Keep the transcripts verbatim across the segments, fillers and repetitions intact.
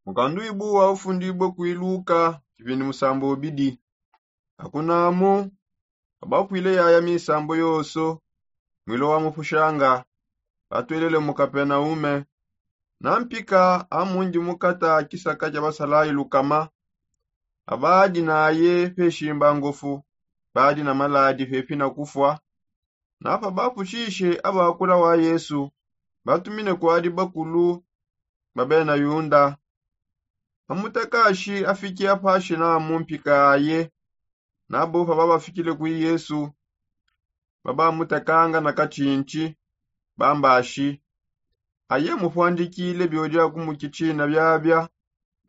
Mukanduibu wa ufundibue kuiluka kibindi musambo ubidi. Akunamu, abapwile yaya misambo yonso, mwilo wa mupushanga, batwelele mu kapenaume. Na mpika amundi mukata kisaka kia basalayi lukama, abadi naye peshimba ngofu, badi na maladi pepi na kufwa. Napa bapushishe abakula wa yesu, batumine kwadi bakulu ba bena yunda. Amutakashi afiki apashina mu mpika aye. Nabo paba bafikile kwi yesu, babamutakanga na katshintshi, bambashi, aye mupwandikile biodia kumukitshina biabia,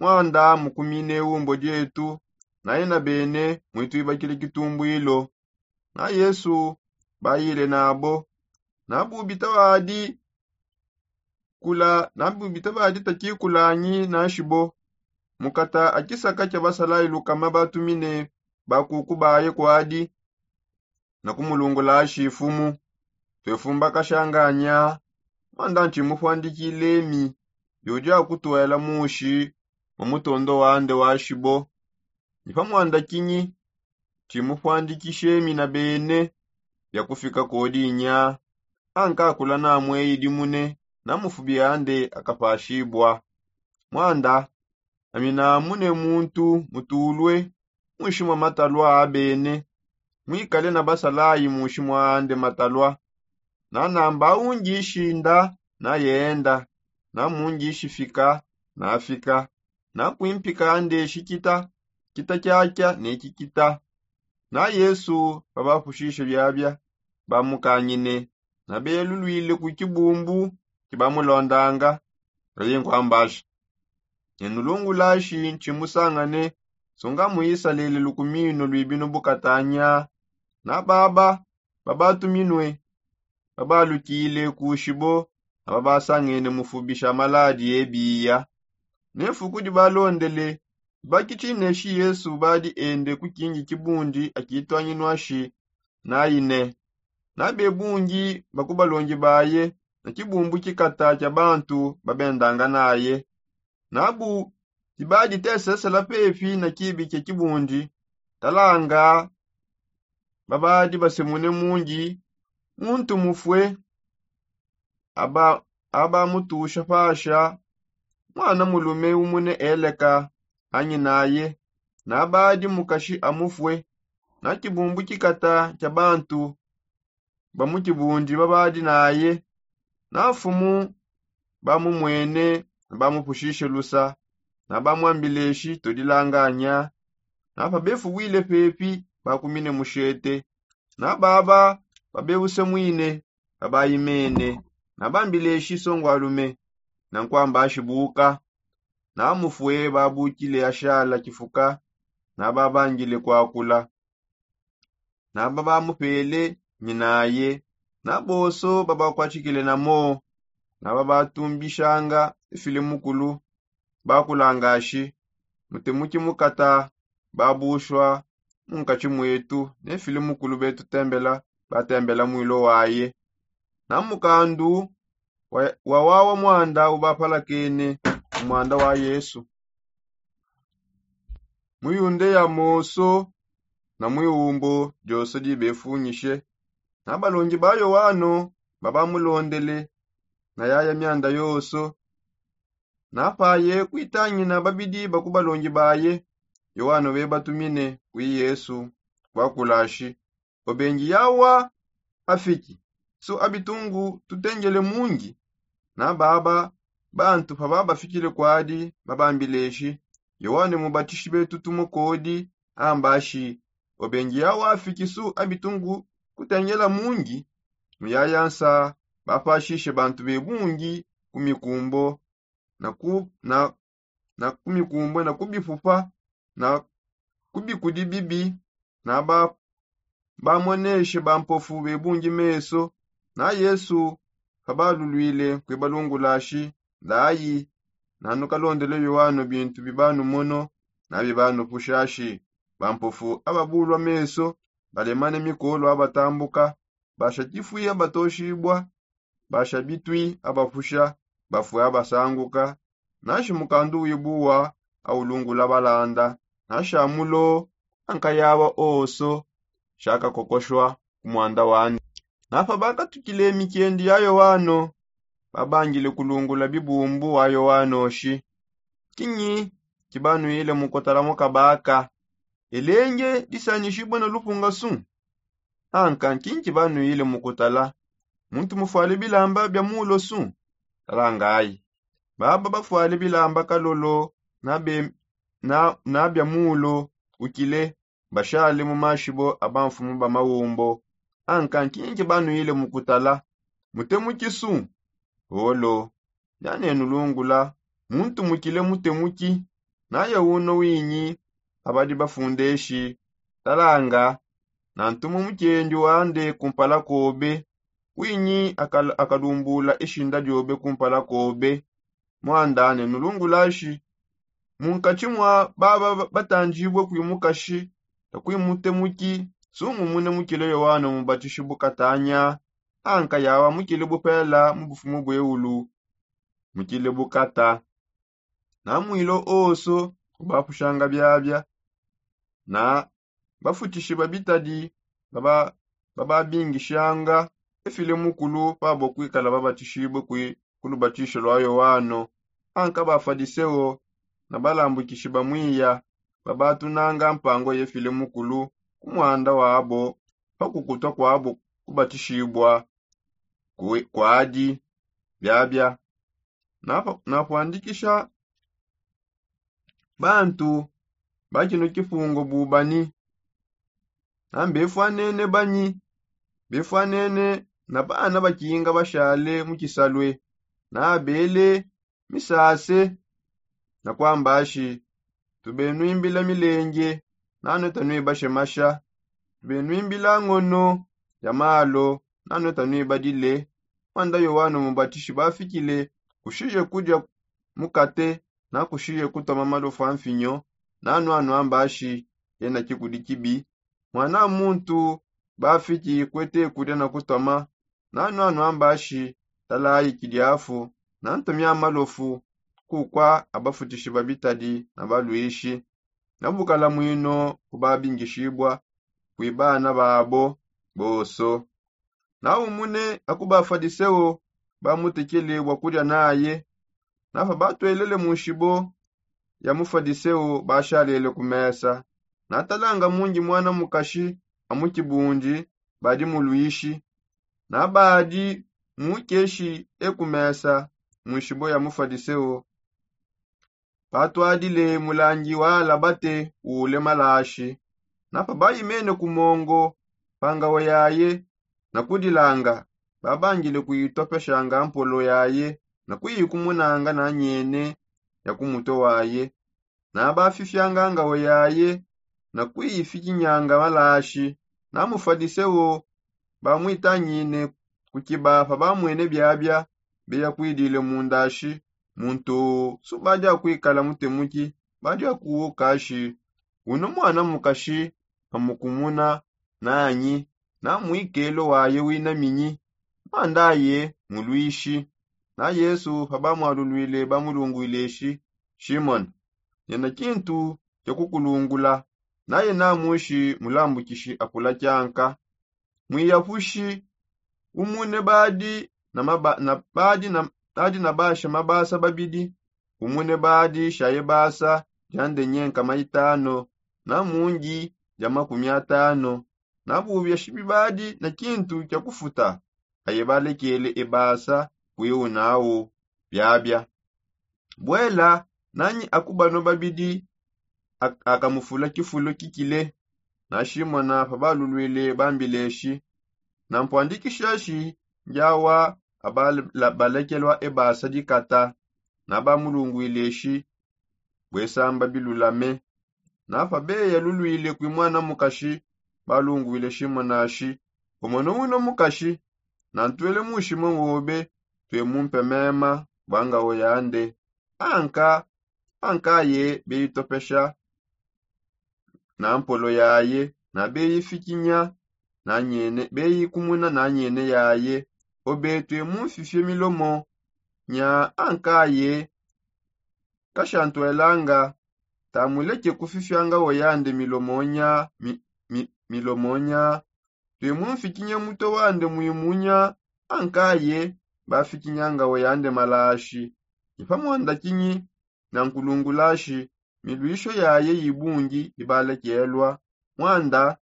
mwanda mukumine umbo dietu, naye na bene mwituibakile kitumbuilo. Na yesu bayile nabo. Nabubita badi kula nabubita badi takikulanyi na shibo. Mukata akisaka kia basalayi lukama batumine bakuku baye kwadi, na kumulungulashi ifumu, twefumbakashanganya. Mwanda ntshimupwandikile mi, biudia kutwela mushi mu mutondo wande wa shibo. Ni pa mwanda kinyi tshimupwandikishe mi na bene, bia kufika kodinya. Ankakula namweyidi mune, na mufubi ande akapashibua. Mwanda, ami namune muntu mutulue munshi mwa matalua a bene, mwikale na basalayi munshi mwa ande matalua. Nanamba aungishi nda, nayenda, namungishi fika, nafika, nakwimpika ndeshi kita, kita kiakia ne kikita. Na yesu babapushishe biabia, bamukangine, nabelulwile ku kibumbu kibamulondanga. Naye nkwambasha, nenulungulashi ntshimusangane, sunga mu isalele lukumino lwibinu bukatanya. Na baba babatuminue, babalukile ku shibo, na babasangene mufubisha maladi ebiya. Ne fuku dibalondele, bakitshineshi yesu badi ende ku kingi kibundi akitwanginwashi, naine, na bebungi ba ku balongi baye, na kibumbu kikata kia bantu babendanga naye. Nabu dibaditesesela pepi na kibi kia kibundi, talanga, babadi basemune mungi, muntu mufue, aba abamutusha pasha, mwana mulume umune eleka, anyi naye, nabadi mukashi amufue. Na kibumbu kikata kia bantu ba mu kibundi babadi naye, na mfumu bamumwene, bamupushishe lusa, na bamwambileshi todilanganya. Na pabefuwile pepi, bakumine mushete, na baba babebusemwine, babayimene, na bambileshi songwalume, na nkwambashibuka. Na mufue babukile ashala kifuka, na babangile kwakula, na babamupele nyinaye, na bonso babakwatshikile namo, na babatumbishanga ifile mukulu, bakulangashi, mutemuki mukata babushwa mu nkatshi mwetu, ne fili mukulu betu tembela, batembela mwilo waye. Na mukandu wa wawa mwanda ubapalakene mu mwanda wa yesu, mu yundeya moso, na mu iwumbo dioso dibefunyishe. Na balongi ba yoano babamulondele, na yaya mianda yoso. Na paye kuitangina babidi ba ku balongi baye, yoano bebatumine kwi yesu, wakulashi, obengi yawa afiki, su abitungu tutengele mungi. Na baba bantu pababafikile kwadi, babambileshi, yoane mubatishi betu tumukodi, ambashi, obengi yawa afiki su abitungu kutengela mungi. Muyayansa bapashishe bantu bebungi ku mikumbo, na ku na na ku mikumbo, na ku bipupa, na ku bikudi bibi, na ba bamoneshe bampofu bebungi meso. Na yesu pabalulwile kwibalungulashi, ndayi, nanukalondele yoano bintu bibanumono, na bibanupushashi. Bampofu ababulwa meso, balemane mikolo abatambuka, basha kifwi abatoshibwa, basha bitwi abapusha, bafue abasanguka, Nashi mukandu wibuwa aulungula balanda, nashamulo ankayawa oso shakakokoshwa ku mwanda wandi. Napa bakatukile mikiendi ya yowano, babangile kulungula bibumbu wa yowano shi, kinyi kibanwile mukutala mukabaka? Elenge disanishibwe na lupunga su? Anka nkinki banwile mukutala? Muntu mufwale bilamba bia mulo su? Talangayi, baba bafwale bilamba kalolo na bia mulo ukile, bashale mu mashibo a bamfumu ba maumbo. Anka nkinki banwile mukutala? Mutemuki su? Olo, nyanenu lungula, muntu mukile mutemuki? Naye uno winyi abadi bafundeshi? Talanga, nantumu mukiendi wande kumpala kobe, winyi akalumbula ishinda diobe kumpala kobe. Mwandane nulungulashi, munkatshi mwa baba batandibue kwimukashi na kwimutemuki, sungumune mukile yowano mubatishi bukatanya? Anka yawa mukile bupela mu bufumu bweulu? Mukile bukata. Na mwilo oso kubapushanga biabia na bafutishi babitadi bababingishanga efile mukulu pabo kwikala babatishibue ku lubatisho lwa yowano. Anka bafadiseo na balambukishi bamwiya babatunanga mpango yefile mukulu ku mwanda wabo pakukutwa kwabo kubatishibua kwadi biabia. Napwandikisha bantu ba kino kipungo bubanyi? Nambefwanene banyi? Befwanene na bana bakinga bashale mu kisalue, nabele misase na kwambashi, tubenwimbila milenge nanue tanuibashe masha, tubenwimbila ngono ya malo nanue tanuibadile. Mwanda yowano mubatishi bafikile, kushiye kudia mukate na kushiye kutoma malofu a mfinyo, nanue anuambashi yena kikudi kibi. Mwana muntu bafiki kwete kudia na kutoma, nanue anuambashi talayi kidiafu na ntomia malofu. Kukwa abafutishi babitadi na baluishi na bukala mwino kubabingishibua kwi bana babo boso. Na umune aku bafadiseo bamutekele bua kudia naye. Napa batuelele mu nshibo ya mufadiseo bashalele ku mesa, natalanga mungi mwana mukashi a mu kibundi badi muluishi, na badi mukeshi e ku mesa mu nshibo ya mufadiseo. Patuadile mulangi wa alabate ule malashi. Napa bayimene ku mongo pa ngawa yaye na kudilanga, babangile kuyitopeshanga mpolo yaye na kuyikumunanga na nyene ya ku mutue waye. Na bafifyanga ngawa yaye na kuyifikinyanga malashi. Na mufadiseo bamwitangine ku kiba pa bamwene biabia beya kwidile mu ndashi, muntu subadia kwikala mutemuki, badia kuwukashi, uno mwana mukashi amukumuna nanyi? Na mwikelo waye wina minyi? Mwandaye muluishi. Na yesu pa bamwalulwile bamulungwile shi, shimona, nena kintu kia kukulungula. Naye namushi mulambukishi akula kianka. Mwiyapushi umune badi na basha mabasa babidi, umune badi shaye basa dia ndenyenka maitano na mungi dia makumi atano. Na bubiashi bibadi na kintu kia kufuta aye balekele ebasa kwiu nawu biabia. Buela nanyi aku bano babidi akamufula kifulu kikile? Na shimona pabalulwile bambileshi, na mpuandikishashi ndiawa abalekelua ebasa dikata. Na bamulungwileshi bue samba bilulame. Na pabeya lulwile kwi mwana mukashi, balungwile shimona shi, umona uno mukashi. Na ntuele mushima wobe tue mumpe mema bua ngawo yande. Anka ankaye beyitopesha na mpolo yaye na beyifikinya na nyene beyikumuna na nyene yaye. Obe tue mumfifie milomo nya ankaye Kashantuelanga, tamuleke kufifianga oyande milomonya mi, mi, milomonya. Tuimumfikinye muto wande muimunya. Ankaye bafikinyanga oyande malashi. Ipamwanda kinyi na nkulungulashi, miluisho yaye yibungi ibalekelwa. Mwanda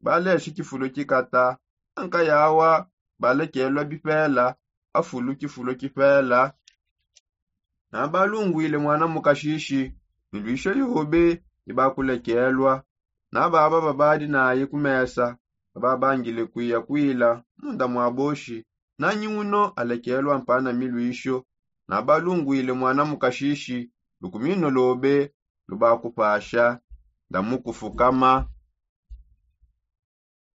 baleshi kifulo kikata. Ankayawa balekelwa bipela. Afulu kifulo kipela. Nabalungwile mwana mukashishi, miluisho yobe ibakulekelwa. Nababa babadi naye kumesa, bababangile kuya kwila munda mwa boshi. Nanyi uno alekelwa mpana miluisho. Nabalungwile mwana mukashishi, lukumino lobe lubakupasha. Ndamukufukama.